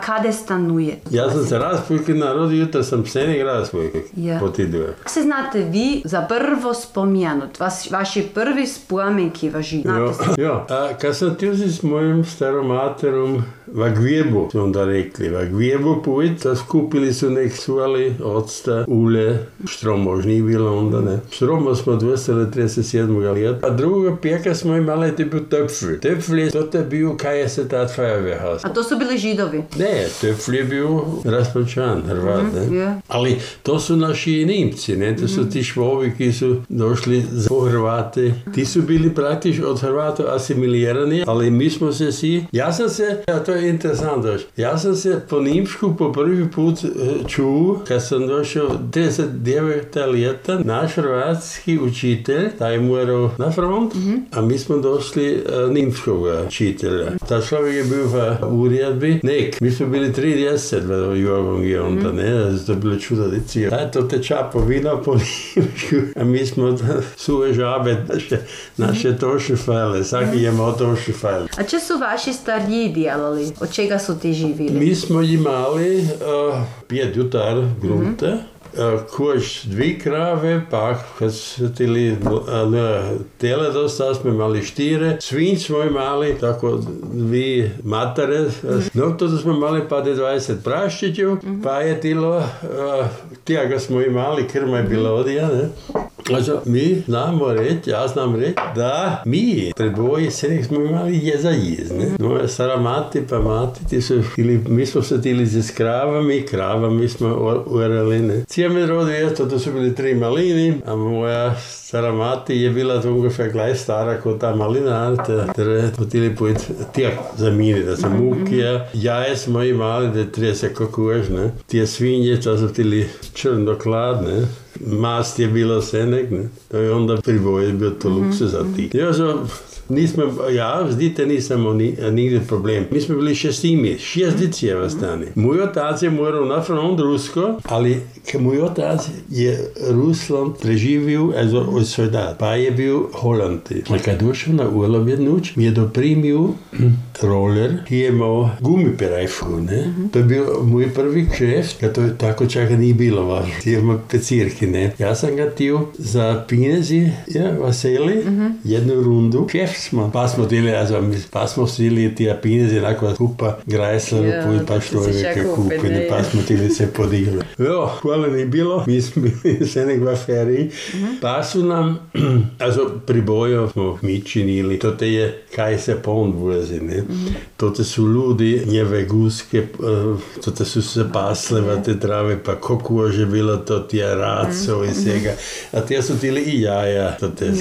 Kade stanujete? Ja sam se Raspojke narodio, jutra sam Senek Raspojke potiduje. Se znate vi za prvo spomenut, vaši prvi spomenki važi? Jo, a kad sam tjuzi s mojim staromaterom Vagvjebu, su onda rekli, Vagvjebu pojít, a skupili su nek suvali octa, ule, štromo už nije bilo onda, ne. Štromo smo 237. ljeta, a drugoga pjeka smo imali tipu Töpfl. Töpfl je, to je bio kaj se tad Feuerwehrhaus. A to su bili Židovi? Ne, Töpfl je bio Raspačan, Hrvat, ne. Yeah. Ali to su naši Nimci, ne, to su ti Švovi ki su došli po Hrvate. Ti su bili praktično od Hrvata asimilirani, ali mi smo se svi, ja sam se, a to je interesantno, ja sam se po Nimšku po prvi put čuo, kad sam došao 39. ljeta, naš hrvatski učitelj, taj morao na front, a mi smo došli nimskog učitelja. Ta človek je bil v uredbi, mi smo bili 30 v Jurgongi onda, ne, to je bilo čudodici. To teča po vina po Nimšku, a mi smo suve žabe, naše tošefajle, vsaki je imel tošefajle. A če su vaši stariji djelali? Od čega su ti živili? Mi smo imali 5 jutar grunte, kož 2 krave, pa kad su tili tele dosta, smo imali 4, svinj smo imali, tako 2 matare, no to smo imali pa 20 praščićev, pa je tilo, tijega smo imali, krma je bila odija, ne. Also, mi znamo reći, ja znam reći, da mi predvoji Senek smo imali je za jez, ne. Moja stara mati pa mati, mi smo se tili s kravami smo urali, ne. Cijeme rodi to su bili 3 malini, a moja stara mati je bila ungefähr gleich stara kot ta malina, ter hoteli pojeti tijak zamini, da sam mukija. Jaje smo imali, da 30 kokož, ne. Tije svinje, to su tili črnoklad, ne. Mast je bilo Senek, ne. To je onda priboje bio to luksuz za ti. Zdite nisam nigdje problem. Mi smo bili 6 dicijeva stani. Moj otac je moral na front rusko, ali moj otac je Rusland preživio od soldat, pa je bio Holanti. A kad došao na urlaub jednuć, mi je doprimio roller, ki je imao gumiperajfu, ne. To je bio moj prvi kšeft, kad to tako čaka nije bilo važno. Ti ima pecirki, ne. Ja sam ga tio za pinezi, vaseli, jednu rundu, kšeft smo. Pa smo stili tija pinezi, nakon kupa grajsla, pa što je kupine, pa smo tili se podigli. Hvala ni bilo, mi smo bili Senek v aferi, pa su nam, pribojo smo mi činili, to te je, kaj se pon vlezi, ne. To te su ljudi, njeve guske, to te su se pasle v te trave, pa kokože bilo to tija raco i svega, a tija su tili i jaja, to te